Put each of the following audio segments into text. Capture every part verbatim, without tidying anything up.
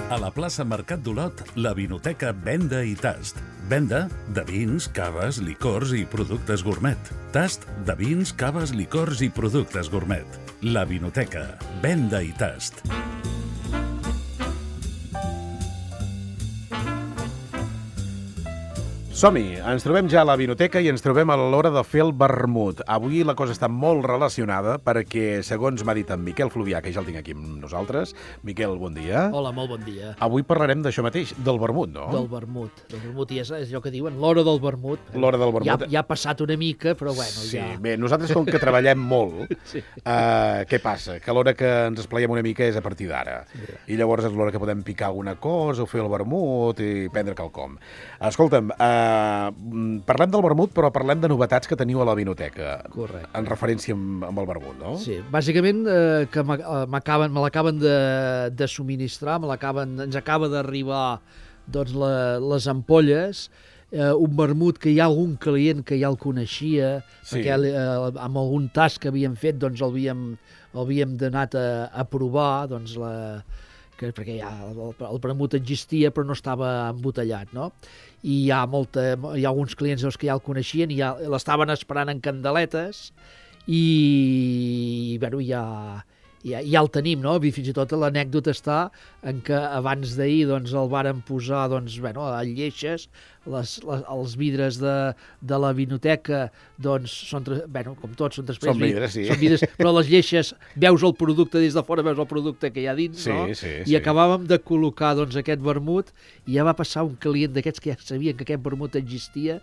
A la plaça Mercat d'Olot, la Vinoteca Venda i Tast. Venda de vins, caves, licors i productes gourmet. Tast de vins, caves, licors i productes gourmet. La Vinoteca Venda i Tast. Som-hi, ens trobem ja a la vinoteca i ens trobem a l'hora de fer el vermut. Avui la cosa està molt relacionada perquè, segons m'ha dit en Miquel Fluvià, que ja el tinc aquí amb nosaltres. Miquel, bon dia. Hola, molt bon dia. Avui parlarem d'això mateix, del vermut, no? Del vermut. Del vermut, i és, és allò que diuen, l'hora del vermut. L'hora del vermut. Ja, ja ha passat una mica, però bueno, sí, ja... Sí, bé, nosaltres com que treballem molt, sí. uh, què passa? Que l'hora que ens esplaiem una mica és a partir d'ara. Sí. I llavors és l'hora que podem picar alguna cosa o fer el vermut i prendre quelcom. Escolta'm, uh, parlem del vermut, però parlem de novetats que teniu a la vinoteca. Correcte. En referència amb, amb el vermut, no? Sí, bàsicament eh, que m'acaben, me l'acaben de, de subministrar, me l'acaben, ens acaba d'arribar doncs, la, les ampolles, eh, un vermut que hi ha algun client que ja el coneixia, sí. Perquè eh, amb algun tast que havíem fet doncs el havíem, el havíem anat a, a provar, doncs la... Que, perquè ja el, el vermut existia però no estava embotellat, no? I hi ha, molta, hi ha alguns clients que ja el coneixien i ja l'estaven esperant en candeletes i, bueno, ja, ja, ja el tenim, no? I fins i tot l'anècdota està en que abans d'ahir doncs, el varen posar doncs, bueno, a lleixes, les, les, els vidres de, de la vinoteca doncs, són, bueno, com tots, són després... Són vidres, sí. Són vidres, però les lleixes, veus el producte des de fora, veus el producte que hi ha dins, sí, no? Sí, I sí. acabàvem de col·locar doncs, aquest vermut i ja va passar un client d'aquests que ja sabien que aquest vermut existia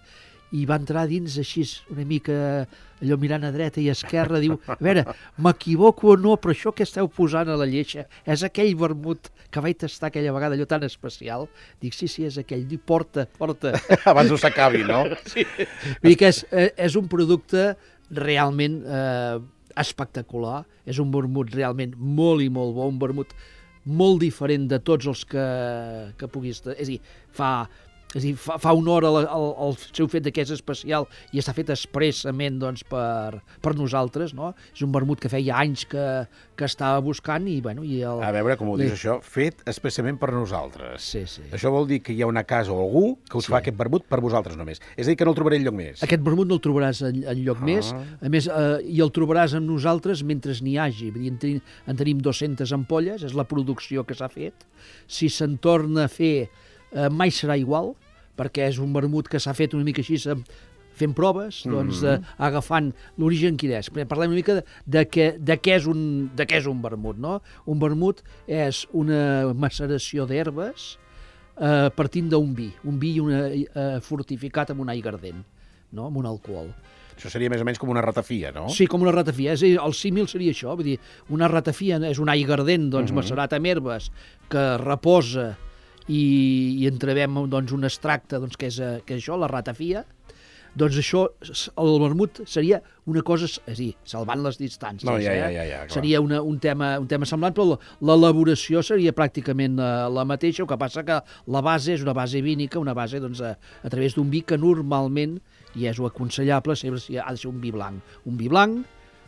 i va entrar dins així una mica allò mirant a dreta i a esquerra, diu, a veure, m'equivoco o no, però això que esteu posant a la lleixa és aquell vermut que vaig tastar aquella vegada, allò tan especial. Dic, sí, sí, és aquell. Diu, porta, porta. Abans no s'acabi, no? Sí. Vull dir que és, és un producte realment eh, espectacular, és un vermut realment molt i molt bo, un vermut molt diferent de tots els que, que puguis... És a dir, fa... És a dir, fa, fa honor al, al, al seu fet que és especial i està fet expressament doncs, per, per nosaltres, no? És un vermut que feia anys que, que estava buscant i, bueno... I el, a veure, com ho dius, li... això, fet expressament per nosaltres. Sí, sí. Això vol dir que hi ha una casa o algú que us sí. fa aquest vermut per vosaltres només. És a dir, que no el trobaré enlloc més. Aquest vermut no el trobaràs en, en lloc ah. més, a més, eh, i el trobaràs amb nosaltres mentre n'hi hagi. Vull dir, en, tenim, en tenim dues-centes ampolles, és la producció que s'ha fet. Si se'n torna a fer, eh, mai serà igual, perquè és un vermut que s'ha fet una mica així, fent proves, doncs, mm-hmm. eh, agafant l'origen quin és. Parlem una mica de, de, què, de, què és un, de què és un vermut, no? Un vermut és una maceració d'herbes eh, partint d'un vi, un vi una, eh, fortificat amb un aiguardent, no? Amb un alcohol. Això seria més o menys com una ratafia, no? Sí, com una ratafia. És a dir, el símil seria això. Vull dir, una ratafia és un aiguardent doncs, mm-hmm. macerat amb herbes que reposa i, i entrebem doncs, un extracte doncs, que, és, que és això, la ratafia, doncs això, el vermut seria una cosa, és a dir, salvant les distàncies. No, ja, eh? ja, ja, ja, seria una, un, tema, un tema semblant, però l'elaboració seria pràcticament la, la mateixa, el que passa que la base és una base vínica, una base doncs, a, a través d'un vi que normalment, i és aconsellable, sempre ha de ser un vi blanc. Un vi blanc,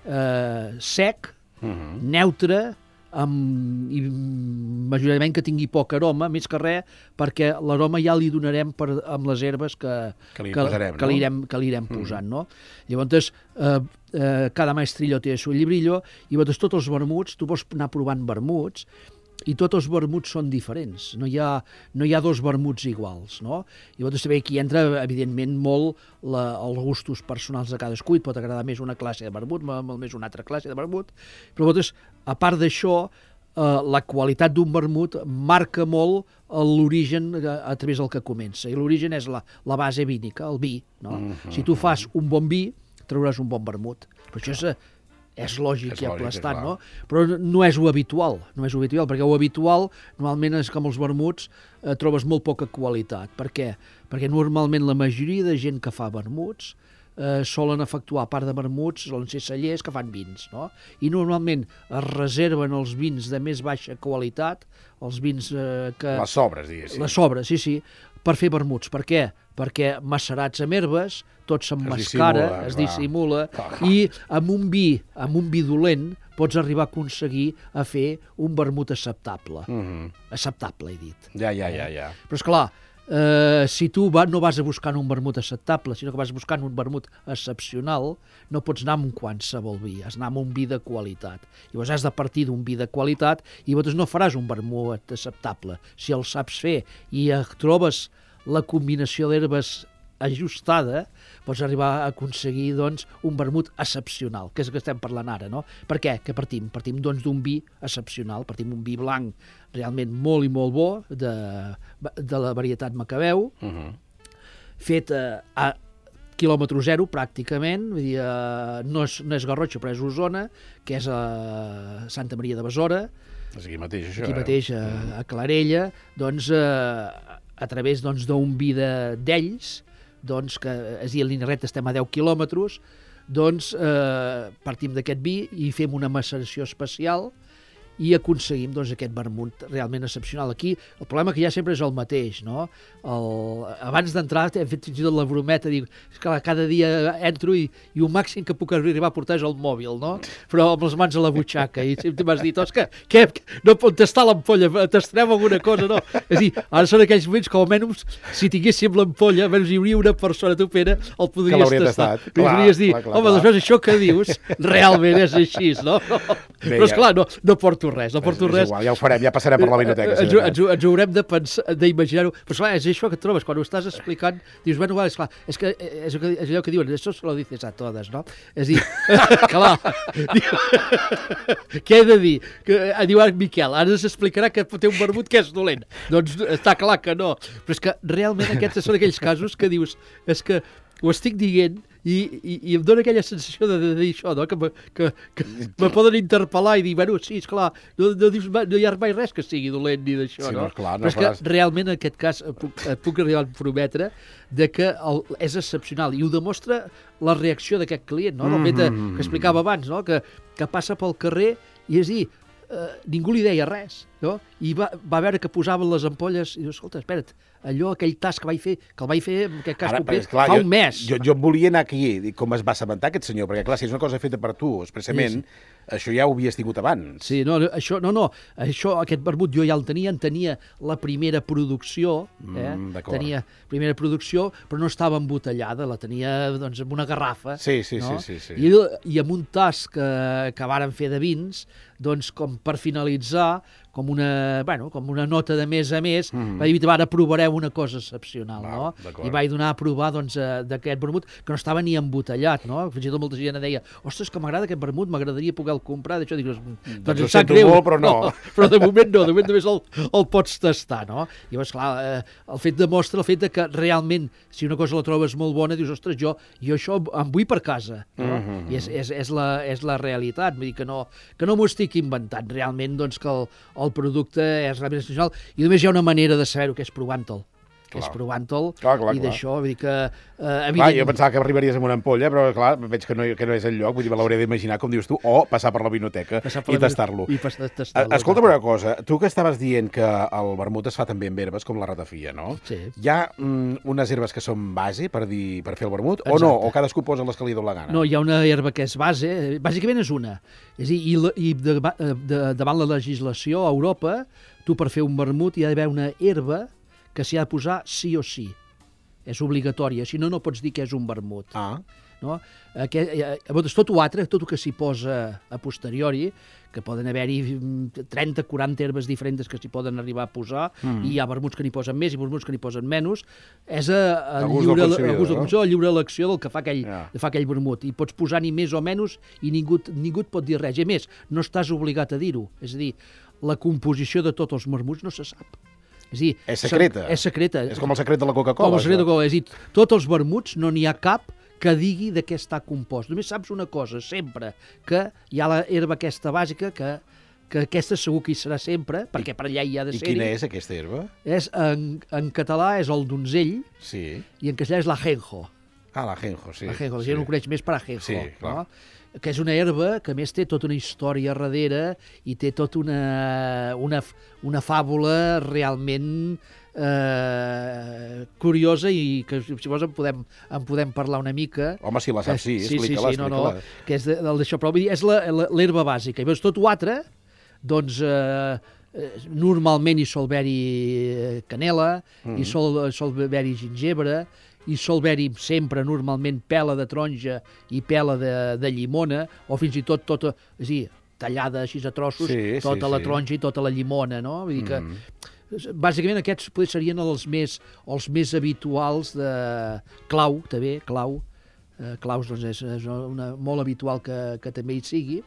eh, sec, uh-huh. neutre, amb, i majoritàriament que tingui poc aroma, més que res, perquè l'aroma ja li donarem per, amb les herbes que, que li que, posarem, que no? li irem, que li irem posant, mm. no? Llavors, eh, eh, cada maestrillo té el seu llibrillo, i llavors tots els vermuts, tu pots anar provant vermuts, i tots els vermuts són diferents, no hi ha, no hi ha dos vermuts iguals, no? I llavors també aquí entra, evidentment, molt la, els gustos personals de cadascú, et pot agradar més una classe de vermut, molt més una altra classe de vermut, però llavors, a part d'això, eh, la qualitat d'un vermut marca molt l'origen a, a través del que comença, i l'origen és la, la base vínica, el vi, no? Mm-hmm. Si tu fas un bon vi, trauràs un bon vermut, però això és... és lògic és i aplastant, no? Però no és ho habitual, no és ho habitual, perquè ho habitual, normalment és com els vermuts, eh, trobes molt poca qualitat. Per què? Perquè normalment la majoria de gent que fa vermuts eh, solen efectuar, a part de vermuts, solen ser cellers que fan vins, no? I normalment es reserven els vins de més baixa qualitat, els vins eh, que... Les sobres, diguéssim. Les sobres, sí, sí, per fer vermuts. Per què? Perquè macerats amb herbes, tot s'emmascara, es dissimula, es dissimula i amb un vi, amb un vi dolent, pots arribar a aconseguir a fer un vermut acceptable. Mm-hmm. Acceptable, he dit. Ja, ja, ja, ja. Però, esclar, eh, si tu va, no vas a buscar un vermut acceptable, sinó que vas buscant un vermut excepcional, no pots anar amb un qualsevol vi, has d'anar amb un vi de qualitat. Llavors has de partir d'un vi de qualitat i llavors no faràs un vermut acceptable. Si el saps fer i trobes la combinació d'herbes ajustada, pots arribar a aconseguir doncs, un vermut excepcional, que és el que estem parlant ara, no? Per què? Que partim? Partim doncs, d'un vi excepcional, partim d'un vi blanc realment molt i molt bo, de, de la varietat Macabeu, uh-huh. fet a, a quilòmetre zero, pràcticament, vull dir, uh, no, és, no és Garrotxa, però és Osona, que és a Santa Maria de Besora, és aquí mateix, això, aquí eh? mateix, a, a Clarella, doncs, uh, a través doncs, d'un vi d'ells, doncs, que és a dir, a Linarret estem a deu quilòmetres, doncs eh, partim d'aquest vi i fem una maceració especial i aconseguim doncs, aquest vermut realment excepcional. Aquí el problema que hi ha sempre és el mateix, no? El, abans d'entrar hem fet fins i tot la brometa, dic, que cada dia entro i, i un màxim que puc arribar a portar és el mòbil, no? Però amb les mans a la butxaca, i sempre m'has dit, Òscar, què, no pot tastar l'ampolla, tastarem alguna cosa, no? És a dir, ara són aquells moments que almenys si tinguéssim l'ampolla, almenys hi hauria una persona, tu, Pere, el podries tastar. Tastat. Clar, podries dir, clar, clar, home, doncs això que dius realment és així, no? Bé, però esclar, no, no porto res, no porto res. Igual, ja ho farem, ja passarem per la vinoteca. Ens, ens, ens ho haurem de pensar, d'imaginar-ho. Però esclar, és això que et trobes, quan ho estàs explicant, dius, bueno, vale, esclar, és, que, és, que, és allò que diuen, això se lo dices a totes, no? És a dir, clar, què he de dir? Que, diu ara Miquel, ara s'explicarà que té un vermut que és dolent. Doncs està clar que no. Però és que realment aquests són aquells casos que dius, és que ho estic dient i, i, i em dóna aquella sensació de, de dir això, no? que, me, que, que me poden interpel·lar i dir, bueno, sí, esclar, no, no, dius, no hi ha mai res que sigui dolent ni d'això, sí, no? no, clar, no però és faràs... que realment en aquest cas et puc, et puc arribar a prometre de que el, és excepcional i ho demostra la reacció d'aquest client, no? Del fet de, que explicava abans, no? que, que passa pel carrer i és dir, eh, ningú li deia res, no? I va, va veure que posaven les ampolles i diu, escolta, espera't, allò, aquell tas que vaig fer, que el vaig fer en aquest cas Ara, concret, clar, fa jo, un mes. Jo, jo volia anar aquí, com es va assabentar aquest senyor, perquè clar, si és una cosa feta per tu, expressament, sí, sí. Això ja ho havies tingut abans. Sí, no, això, no, no, això, aquest vermut jo ja el tenia, en tenia la primera producció, eh? Mm, tenia primera producció, però no estava embotellada, la tenia doncs en una garrafa. Sí, sí, no? sí, sí, sí. I, i amb un tas que, que varen fer de vins, doncs com per finalitzar, com una, bueno, com una nota de més a més, mm. vaig dir, ara provareu una cosa excepcional, Val, no? I vaig donar a provar doncs, d'aquest vermut, que no estava ni embotellat, no? Fins i tot molta gent deia, ostres, que m'agrada aquest vermut, m'agradaria poder el comprar, d'això, dic, doncs, doncs em sap greu, molt, però no. no. Però de moment no, de moment només el, el pots tastar, no? I llavors, clar, eh, el fet demostra el fet de que realment, si una cosa la trobes molt bona, dius, ostres, jo, jo això em vull per casa, no? Mm -hmm. I és, és, és, la, és la realitat, vull dir que no, que no m'ho estic inventant, realment, doncs, que el, el producte és realment excepcional i només hi ha una manera de saber-ho, que és provant-te'l. Que és provant-te'l i d'això, vull dir que... Eh, clar, jo pensava que arribaries amb una ampolla, però clar, veig que no, que no és el lloc, vull dir, me l'hauré d'imaginar, com dius tu, o passar per la vinoteca per i tastar-lo. tastar Escolta'm una cosa, tu que estaves dient que el vermut es fa també amb herbes, com la ratafia, no? Sí. Hi ha mm, unes herbes que són base per, dir, per fer el vermut, exacte, o no? O cadascú posa les que li dona la gana? No, hi ha una herba que és base, bàsicament és una. És a dir, i, i de, de, davant la legislació a Europa, tu per fer un vermut hi ha d'haver una herba que s'hi ha de posar sí o sí. És obligatòria, si no, no pots dir que és un vermut. Ah. No? Aquest, eh, tot ho altre, tot el que s'hi posa a posteriori, que poden haver-hi trenta quaranta herbes diferents que s'hi poden arribar a posar, mm. i hi ha vermuts que n'hi posen més i vermuts que n'hi posen menys, és a, a, a lliure, a gust del consumidor, a lliure elecció del que fa aquell, yeah. fa aquell vermut. I pots posar ni més o menys i ningú, ningú et pot dir res. I a més, no estàs obligat a dir-ho. És a dir, la composició de tots els vermuts no se sap. És, dir, és secreta. És secreta. És com el secret de la Coca-Cola. Com el secret de la Coca-Cola. És dir, tots els vermuts no n'hi ha cap que digui de què està compost. Només saps una cosa, sempre, que hi ha la herba aquesta bàsica, que, que aquesta segur que hi serà sempre, perquè I, per allà hi ha de ser-hi. I quina és aquesta herba? És, en, en català és el donzell, sí. I en castellà és l'ajenjo. Ah, l'ajenjo, sí. L'ajenjo, la sí. gent ho coneix més per ajenjo. Sí, clar. No? Que és una herba que a més té tota una història darrere i té tota una, una, una fàbula realment eh, curiosa i que si vols en podem, en podem parlar una mica. Home, si la saps, sí, sí, sí, explica-la, sí, no, no, explica-la. que és de, del d'això, però vull dir, és l'herba bàsica. I veus, tot l'altre, doncs, eh, normalment hi sol haver-hi canela, mm. hi sol, sol haver-hi gingebre, hi sol haver-hi sempre, normalment, pela de taronja i pela de, de llimona, o fins i tot tota, és a dir, tallada així a trossos, sí, tota sí, la sí. taronja i tota la llimona, no? Vull dir que, mm. bàsicament, aquests potser serien els més, els més habituals de clau, també, clau. Eh, claus, doncs, és, és una, molt habitual que, que també hi sigui.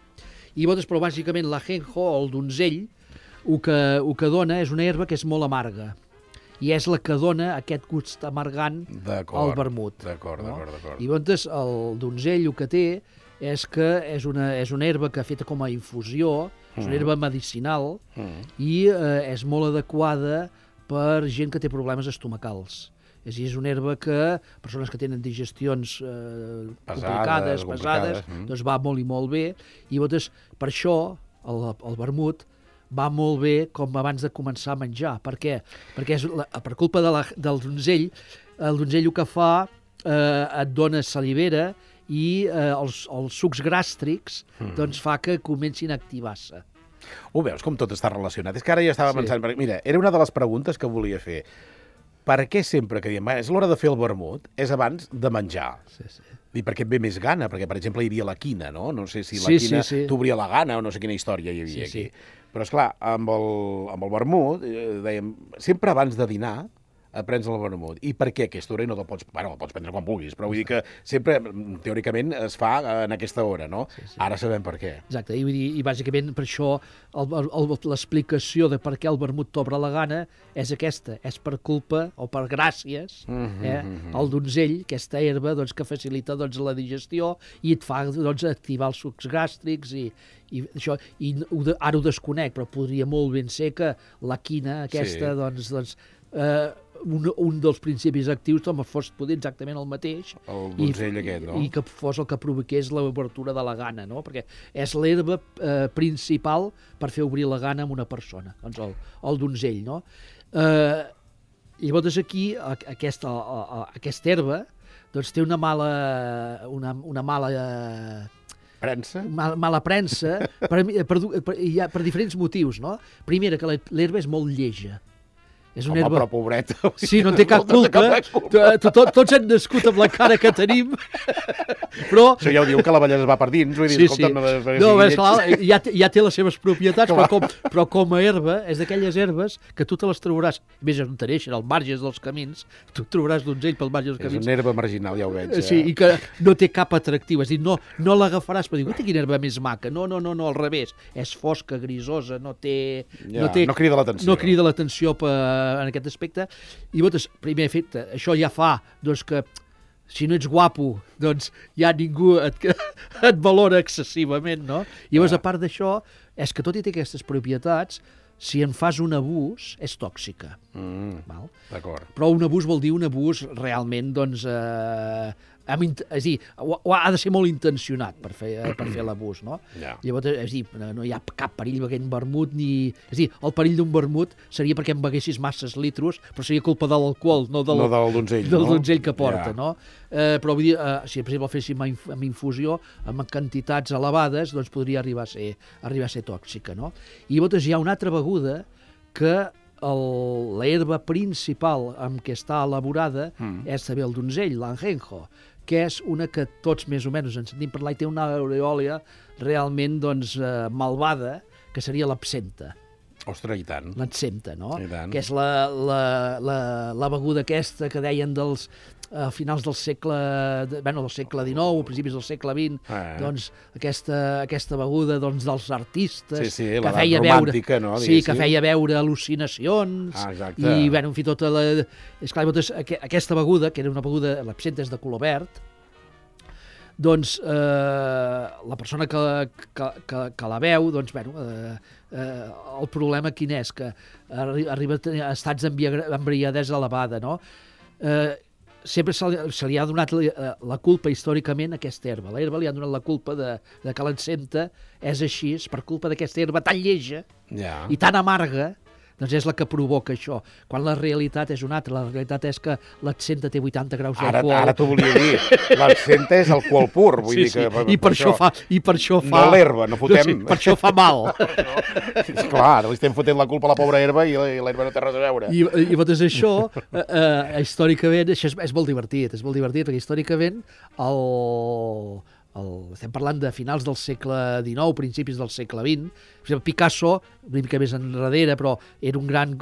I llavors, però, bàsicament, l'ajenjo, el donzell, el que, el que dona és una herba que és molt amarga. I és la que dona aquest gust amargant al vermut. D'acord, no? d'acord, d'acord. I llavors, el donzell el que té és que és una, és una herba que feta com a infusió, és una herba medicinal mm. i eh, és molt adequada per gent que té problemes estomacals. És a dir, és una herba que persones que tenen digestions eh, pesades, complicades, pesades, mm. doncs va molt i molt bé. I llavors, per això, el, el vermut va molt bé com abans de començar a menjar. Per què? Perquè és la, per culpa de la, del donzell, el donzell el que fa eh, et dona salivera i eh, els, els sucs gàstrics mm. doncs fa que comencin a activar-se. Ho veus, com tot està relacionat? És que ara ja estava sí. pensant... Perquè, mira, era una de les preguntes que volia fer. Per què sempre que diem, és l'hora de fer el vermut, és abans de menjar? Sí, sí. I perquè et ve més gana, perquè, per exemple, hi havia la quina, no? No sé si la sí, quina sí, sí. t'obria la gana o no sé quina història hi havia sí, aquí. Sí. Però, esclar, amb el, amb el vermut, eh, dèiem, sempre abans de dinar, prens el vermut. I per què aquesta hora? I no te'l pots... Bueno, el pots prendre quan vulguis, però vull dir que sempre, teòricament, es fa en aquesta hora, no? Sí, sí. Ara sabem per què. Exacte, i, i bàsicament per això l'explicació de per què el vermut t'obre la gana és aquesta, és per culpa o per gràcies mm-hmm, eh, mm-hmm. al donzell, aquesta herba doncs, que facilita doncs, la digestió i et fa doncs, activar els sucs gàstrics i, i això, i ho de, ara ho desconec, però podria molt ben ser que la quina aquesta, sí. doncs, doncs eh, un, un dels principis actius doncs, fos poder exactament el mateix el donzell i, aquest, no? i que fos el que provoqués l'obertura de la gana, no? Perquè és l'herba eh, principal per fer obrir la gana a una persona, doncs el, el donzell, no? Eh, llavors aquí aquesta, aquesta herba doncs té una mala una, una mala premsa? Mal, mala premsa per, per, per, ja, per diferents motius, no? Primera, que l'herba és molt lleja. És una Home, herba... però pobreta. Sí, no té cap culpa. Tots hem nascut amb la cara que tenim. Però... Això ja ho diu que la bellesa va per dins. Vull dir, sí, escolta, sí. No, no, és clar, ja, ja té les seves propietats, però com, però com a herba, és d'aquelles herbes que tu te les trobaràs, més on t'aneixen, als marges dels camins, tu trobaràs donzell pel marge dels camins. És una herba marginal, ja ho veig. Eh? Sí, i que no té cap atractiu. És a dir, no, no l'agafaràs per dir, guaita, quina herba més maca. No, no, no, no, al revés. És fosca, grisosa, no té... Ja, no, té, no crida l'atenció. No crida l'atenció per, en aquest aspecte. I llavors, primer efecte, això ja fa doncs, que si no ets guapo, doncs ja ningú et, et valora excessivament, no? I llavors, a part d'això, és que tot i té aquestes propietats, si en fas un abús, és tòxica. Mm, val? D'acord. Però un abús vol dir un abús realment, doncs, eh, amb, és a dir, ha de ser molt intencionat per fer, per fer l'abús, no? Ja. Llavors, és a dir, no hi ha cap perill beguent vermut, ni... És a dir, el perill d'un vermut seria perquè em beguessis masses litros, però seria culpa de l'alcohol, no del, no del donzell, del no? donzell que porta, ja. no? Eh, però vull dir, eh, si per exemple el féssim amb infusió, amb quantitats elevades, doncs podria arribar a ser, arribar a ser tòxica, no? I llavors hi ha una altra beguda que l'herba principal amb què està elaborada mm. és també el donzell, l'anjenjo, que és una que tots més o menys en sentim parlar i té una aureòlia realment doncs, eh, malvada, que seria l'absenta. Ostres, i tant. L'absenta, no? I tant. Que és la, la, la, la beguda aquesta que deien dels a finals del segle, bueno, del segle dinou, a principis del segle vint, eh. doncs aquesta, aquesta beguda doncs, dels artistes sí, sí, que feia veure, no, sí, que feia veure al·lucinacions ah, i, bueno, en fi, tota la... És clar, doncs, aquesta beguda, que era una beguda, l'absenta és de color verd, doncs eh, la persona que, que, que, que la veu, doncs, bueno, eh, eh, el problema quin és? Que arri arriba a tenir estats d'embriadesa elevada, no? Eh, sempre se li, se li ha donat la, la culpa històricament a aquesta herba. La herba li ha donat la culpa de, de que l'encenta és així per culpa d'aquesta herba tan lleja ja. i tan amarga, doncs és la que provoca això, quan la realitat és una altra. La realitat és que l'absenta té vuitanta graus d'alcohol. Ara, ara t'ho volia dir, l'absenta és alcohol pur, vull sí, dir que... Sí. Per, I, per això, fa, I per això fa... No l'herba, no fotem... No, sí, per això fa mal. No. Clar, li estem fotent la culpa a la pobra herba i l'herba no té res a veure. I, i doncs això, eh, eh, històricament, això és, és molt divertit, és molt divertit, perquè històricament el... El, estem parlant de finals del segle dinou, principis del segle vint. Per exemple, Picasso, una mica més enrere, però era un gran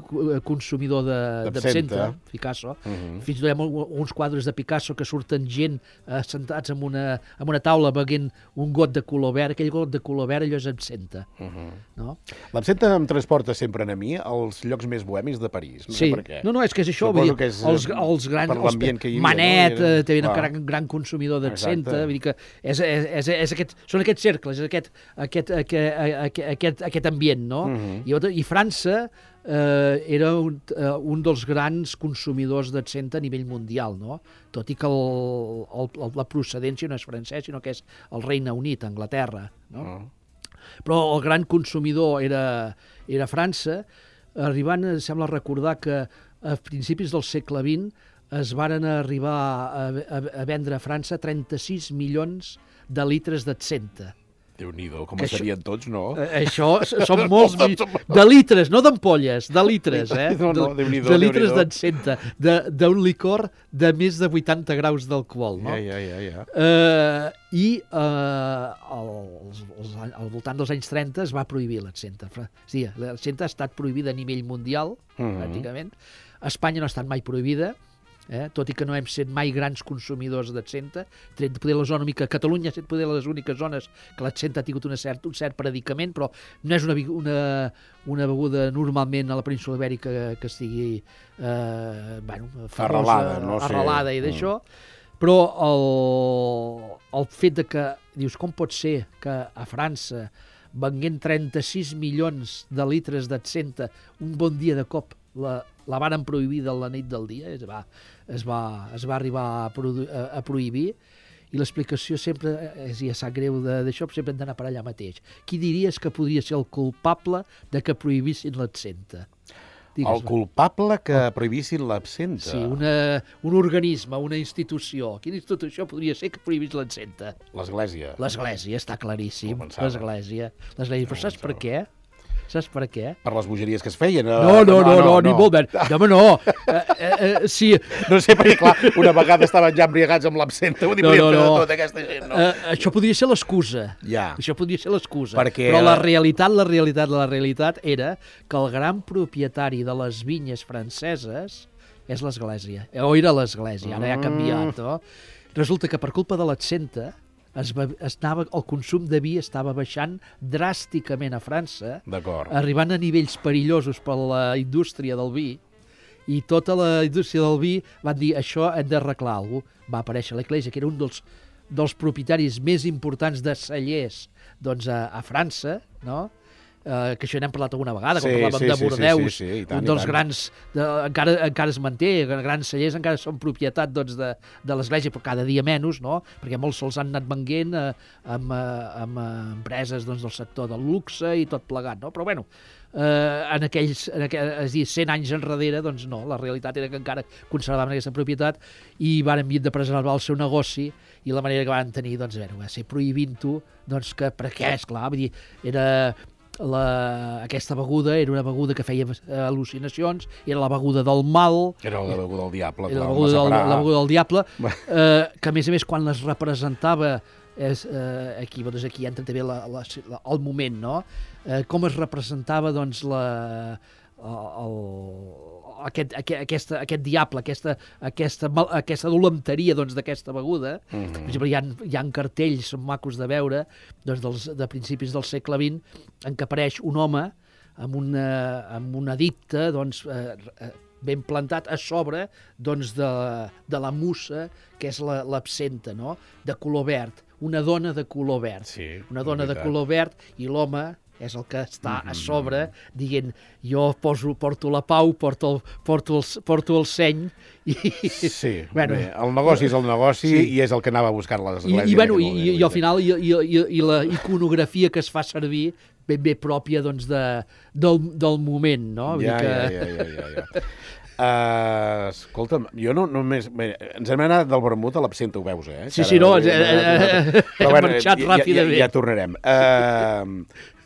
consumidor d'absenta, Picasso. Uh -huh. Fins i tot hi ha uns quadres de Picasso que surten gent eh, sentats en una, en una taula beguent un got de color verd. Aquell got de color verd, allò és absenta. Uh -huh. No? L'absenta em transporta sempre a mi als llocs més bohemis de París. No sí. sé per què. No, no, és que és això. Vull dir, que és, els, els grans... Per l'ambient que hi havia. Manet, no? Era... també era un gran, gran consumidor d'absenta. Vull dir que és, és, és, és aquest, són aquests cercles, és aquest, aquest, aquest, aquest, aquest ambient, no? Uh -huh. I, I França eh, era un, eh, un dels grans consumidors d'absenta a nivell mundial, no? Tot i que el, el, la procedència no és francès, sinó que és el Regne Unit, Anglaterra, no? Uh -huh. Però el gran consumidor era, era França, arribant, sembla recordar que a principis del segle vint es varen arribar a, a, a vendre a França trenta-sis milions de litres d'absenta. Déu-n'hi-do, com serien tots, no? Això són molts... De litres, no d'ampolles, de litres, eh? No, no, de, de litres d'absenta, d'un licor de més de vuitanta graus d'alcohol, no? Ja, ja, ja, ja. Uh, I uh, als, als, al voltant dels anys trenta es va prohibir l'absenta. Sí, l'absenta ha estat prohibida a nivell mundial, uh -huh. pràcticament. A Espanya no ha estat mai prohibida, Eh? tot i que no hem set mai grans consumidors d'absenta. Poder la zona mica, Catalunya ha estat poder les úniques zones que l'absenta ha tingut una cert, un cert predicament, però no és una, una, una beguda normalment a la península Ibèrica que, que estigui eh, bueno, famosa, arrelada, no sé. arrelada i d'això. Mm. Però el, el fet de que, dius, com pot ser que a França venguent trenta-sis milions de litres d'absenta un bon dia de cop la, la varen prohibir de la nit del dia, es va, es va, es va arribar a, produ, a, a prohibir, i l'explicació sempre, és, ja sap greu d'això, sempre hem d'anar per allà mateix. Qui diries que podria ser el culpable de que prohibissin l'absenta? El culpable que prohibissin l'absenta? Sí, una, un organisme, una institució. Quina institució podria ser que prohibís l'absenta? L'Església. L'Església, està claríssim. L'Església. L'Església. Però saps per què? Saps per què? Per les bogeries que es feien. No, no, no, no, no ni molt bé. No, home, no. Eh, eh, sí. No sé, perquè, clar, una vegada estaven ja embriagats amb l'absenta. Vull dir, no, no, no. Tota aquesta gent, no? Eh, això podria ser l'excusa. Ja. Això podria ser l'excusa. Perquè... Però la realitat, la realitat, la realitat era que el gran propietari de les vinyes franceses és l'Església. O era l'Església, ara ja ha canviat, no? Resulta que per culpa de l'absenta Es va, es anava, el consum de vi estava baixant dràsticament a França, arribant a nivells perillosos per la indústria del vi, i tota la indústria del vi van dir això hem d'arreglar alguna cosa. Va aparèixer l'Església, que era un dels, dels propietaris més importants de cellers doncs, a, a França, no? Uh, que això n'hem parlat alguna vegada, sí, quan parlàvem sí, de Bordeus, sí, sí, sí, tant, un dels grans, de, encara, encara es manté, grans cellers encara són propietat doncs, de, de l'Església, però cada dia menys, no? Perquè molts se'ls han anat venguent eh, amb, eh, amb eh, empreses doncs, del sector del luxe i tot plegat, no? Però bueno, eh, en aquells, en aquell, és a dir, cent anys enrere, doncs no, la realitat era que encara conservaven aquesta propietat i van enviar de preservar el seu negoci, i la manera que van tenir, doncs, a veure, va ser prohibint-ho, doncs, que per què, esclar, vull dir, era... La, aquesta beguda era una beguda que feia al·lucinacions, era la beguda del mal, era la beguda del diable, era la beguda del, la beguda del diable, eh, que a més a més quan les representava, és, eh, aquí, doncs aquí entra també la, la, la, el moment, no? Eh, com es representava doncs la... El, aquest, aquest, aquesta, aquest diable, aquesta, aquesta, aquesta dolenteria doncs, d'aquesta beguda. Mm-hmm. Per exemple, hi ha, hi ha cartells macos de veure doncs, dels, de principis del segle vint en què apareix un home amb una, amb una dicta doncs, eh, ben plantat a sobre doncs, de, de la mussa que és la, l'absenta, no? De color verd, una dona de color verd, sí, una dona de color verd, i l'home és el que està a sobre dient jo poso, porto la pau, porto el, porto el, porto el seny. I, sí, bueno, bé, el negoci és el negoci, sí. I és el que anava a buscar l'Església. I, i, bueno, i, i, i al final i, i, i, i la iconografia que es fa servir ben bé pròpia doncs, de, del, del moment, no? Vull Ja, dir que... ja, ja, ja, ja, ja. Uh, escolta'm, jo no només... Bé, ens hem anat del vermut a l'absenta, ho veus, eh? Sí, sí, no, eh, eh, hem marxat ràpidament. Ja, ja, ja tornarem. Uh,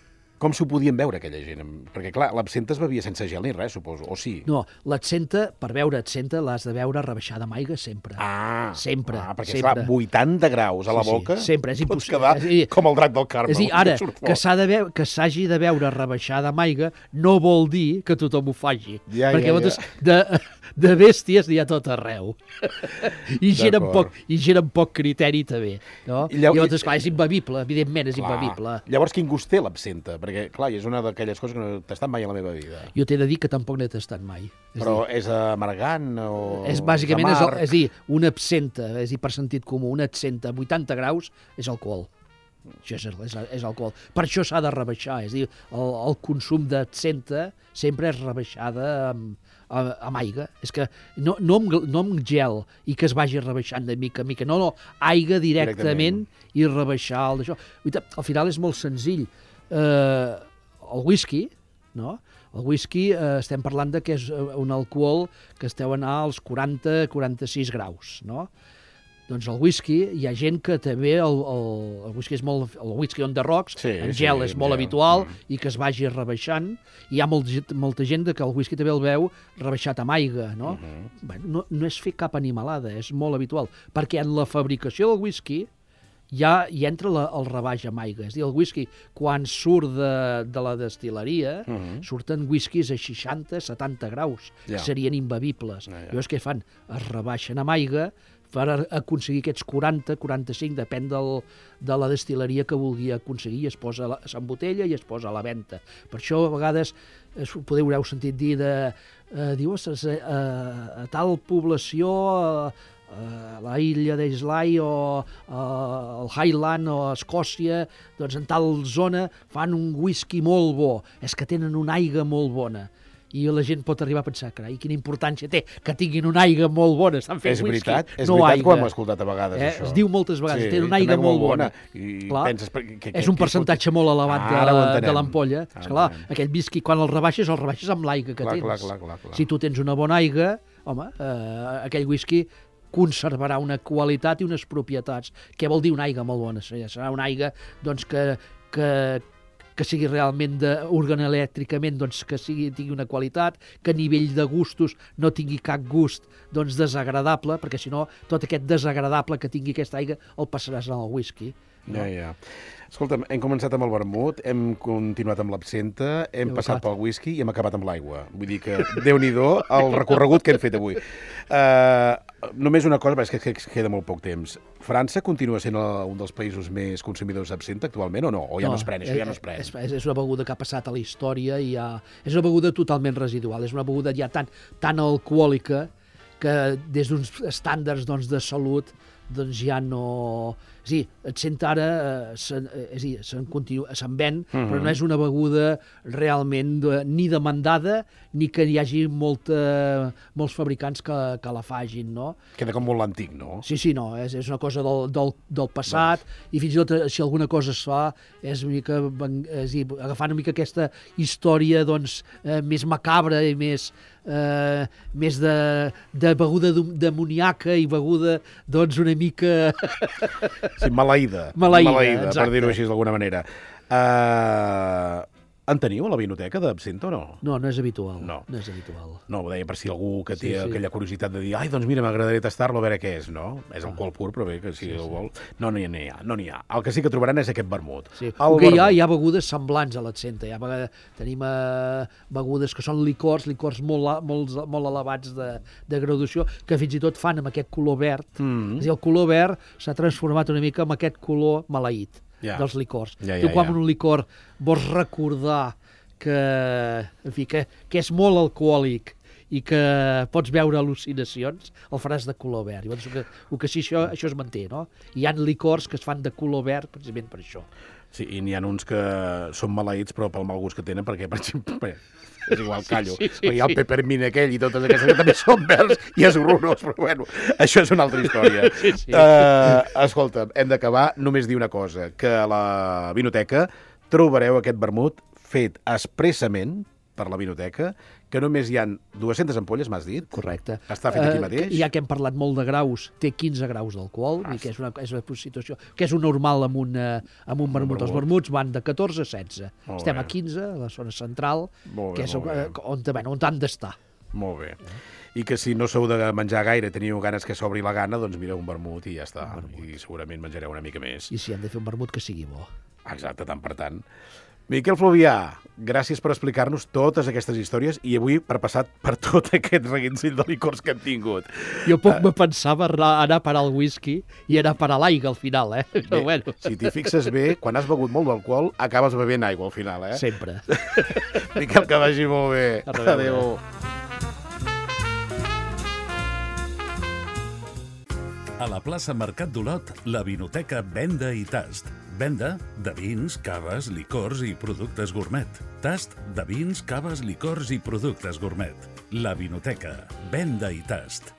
com s'ho podien veure, aquella gent? Perquè, clar, l'absenta es bevia sense gel ni res, suposo, o sí? No, l'absenta, per beure absenta, l'has de beure rebaixada amb aigua sempre. Ah, sempre. Ah, perquè, sempre. esclar, vuitanta graus a la sí, boca, sí, sempre, és pots impossible. quedar dir, com el drac del Carmel. És a dir, ara, que s'ha de veu, que s'hagi de beure rebaixada amb aigua no vol dir que tothom ho faci. Ja, perquè ja, llavors, ja. de, de bèsties n'hi ha tot arreu. I gent, amb poc, I gent amb poc criteri també. No? I llavors, llavors, esclar, és imbevible, evidentment és clar. imbevible. Llavors, quin gust té l'absenta? Perquè, clar, és una d'aquelles coses que no he tastat mai a la meva vida. Jo t'he de dir que tampoc n'he tastat mai. És Però dir, és amargant o és bàsicament, és, amarg? és, és dir, una absenta, és dir, per sentit comú, una absenta a vuitanta graus és alcohol. Això és, és, és alcohol. Per això s'ha de rebaixar, és dir, el, el consum d'absenta sempre és rebaixada amb, amb aigua. És que no, no, amb, no amb gel i que es vagi rebaixant de mica a mica, no, no, aigua directament, directament. I rebaixar el d'això. Al final és molt senzill. Eh, el whisky, no? El whisky eh, estem parlant de que és un alcohol que es deu anar als quaranta a quaranta-sis graus, no? Doncs el whisky, hi ha gent que també el, el, el whisky és molt, el whisky on the rocks, sí, en gel sí, és molt gel. habitual mm. i que es vagi rebaixant. I hi ha molt, molta gent que el whisky també el veu rebaixat amb aigua, no? Mm -hmm. Bé, no, no és fer cap animalada, és molt habitual, perquè en la fabricació del whisky ja hi entra la, el rebaix amb aigua. És a dir, el whisky, quan surt de, de la destil·leria, uh -huh. surten whiskies a seixanta a setanta graus, ja. serien imbevibles. Ja, ja. Llavors què fan? Es rebaixen amb aigua per aconseguir aquests quaranta, quaranta-cinc, depèn del, de la destil·leria que vulgui aconseguir, es posa, s'embotella i es posa a la venda. Per això, a vegades, podeu haver sentit dir de... Eh, diu, a, a tal població... Eh, a la illa d'Islay o al Highland o a Escòcia, doncs en tal zona fan un whisky molt bo, és que tenen una aigua molt bona. I la gent pot arribar a pensar, carai, quina importància té que tinguin una aigua molt bona, estan fent és whisky, veritat, és no veritat aigua. que ho hem escoltat a vegades, eh? això. Es diu moltes vegades, sí, tenen una aigua molt bona. bona. I clar, penses, que, que, és un percentatge que... molt elevat ah, de, de l'ampolla. És clar, aquell whisky, quan el rebaixes, el rebaixes amb l'aigua que clar, tens. Clar, clar, clar, clar. Si tu tens una bona aigua, home, eh, aquell whisky conservarà una qualitat i unes propietats. Què vol dir una aigua molt bona? Serà una aigua doncs, que, que, que sigui realment de, organoelèctricament doncs, que sigui, tingui una qualitat, que a nivell de gustos no tingui cap gust doncs, desagradable, perquè si no tot aquest desagradable que tingui aquesta aigua el passaràs al whisky. No? Ja, ja. Escolta'm, hem començat amb el vermut, hem continuat amb l'absenta, hem Déu passat pel whisky i hem acabat amb l'aigua. Vull dir que, Déu-n'hi-do, el recorregut que hem fet avui. Uh, només una cosa, perquè és que queda molt poc temps. França continua sent el, un dels països més consumidors d'absenta actualment o no? O ja no, no es pren, això ja no es pren? És, és una beguda que ha passat a la història i ha, és una beguda totalment residual. És una beguda ja tan, tan alcohòlica que des d'uns estàndards doncs, de salut doncs ja no... És a dir, et sent ara, eh, se'n, és a dir, se'n continua, se'n ven, mm-hmm. però no és una beguda realment de, ni demandada ni que hi hagi molta, molts fabricants que, que la fagin, no? Queda com molt l'antic, no? Sí, sí, no, és, és una cosa del, del, del passat doncs. I fins i tot si alguna cosa es fa és una mica, és a dir, agafant una mica aquesta història doncs, eh, més macabra i més... Uh, més de, de beguda demoníaca i beguda doncs una mica sí, maleïda, maleïda, maleïda per dir-ho així d'alguna manera. uh, En teniu a la vinoteca d'absenta o no? No, no és habitual. No, no és habitual. No, ho deia per si algú que té sí, sí. aquella curiositat de dir ai, doncs mira, m'agradaria tastar-lo a veure què és, no? És alcohol pur, però bé, que si sí, el vol... No, no hi ha, no n'hi ha. El que sí que trobaran és aquest vermut. Sí. El que hi ha, hi ha begudes semblants a l'absenta. Hi ha, tenim uh, begudes que són licors, licors molt, molt, molt elevats de, de graduació, que fins i tot fan amb aquest color verd. Mm. És a dir, el color verd s'ha transformat una mica en aquest color maleït. Ja. Dels licors. Ja, ja, tu quan ja. un licor vols recordar que, en fi, que, que és molt alcohòlic i que pots veure al·lucinacions, el faràs de color verd. Llavors, el que, el que sí, això, això es manté, no? Hi ha licors que es fan de color verd precisament per això. Sí, i n'hi ha uns que són maleïts però pel mal gust que tenen, perquè, per exemple, és igual, callo, sí, sí, sí, hi ha el peppermint aquell i totes aquestes que també són verds i és horrorós, però bueno, això és una altra història. Sí, sí. Uh, escolta, hem d'acabar, només dir una cosa, que a la vinoteca trobareu aquest vermut fet expressament per la vinoteca, que només hi ha dues-centes ampolles, m'has dit? Correcte. Està fet aquí mateix? Uh, ja que hem parlat molt de graus, té quinze graus d'alcohol, ah, que és una, és una situació que és un normal amb un, uh, amb un vermut. Els vermuts van de catorze a setze. Molt Estem bé. a quinze, a la zona central, Molt bé, que és molt bé. on, on, on han d'estar. Molt bé. I que si no sou de menjar gaire, teniu ganes que s'obri la gana, doncs mireu un vermut i ja està. I segurament menjareu una mica més. I si hem de fer un vermut, que sigui bo. Exacte, tant per tant. Miquel Fluvià, gràcies per explicar-nos totes aquestes històries i avui per passar per tot aquest reguitzell de licors que hem tingut. Jo poc uh, me pensava anar a parar el whisky i anar a parar l'aigua al final, eh? Però bé, bueno. Si t'hi fixes bé, quan has begut molt d'alcohol, acabes bevent aigua al final, eh? Sempre. Miquel, que vagi molt bé. Adéu. Adéu. A la plaça Mercat d'Olot, la Vinoteca Venda i Tast. Venda de vins, caves, licors i productes gourmet. Tast de vins, caves, licors i productes gourmet. La Vinoteca Venda i Tast.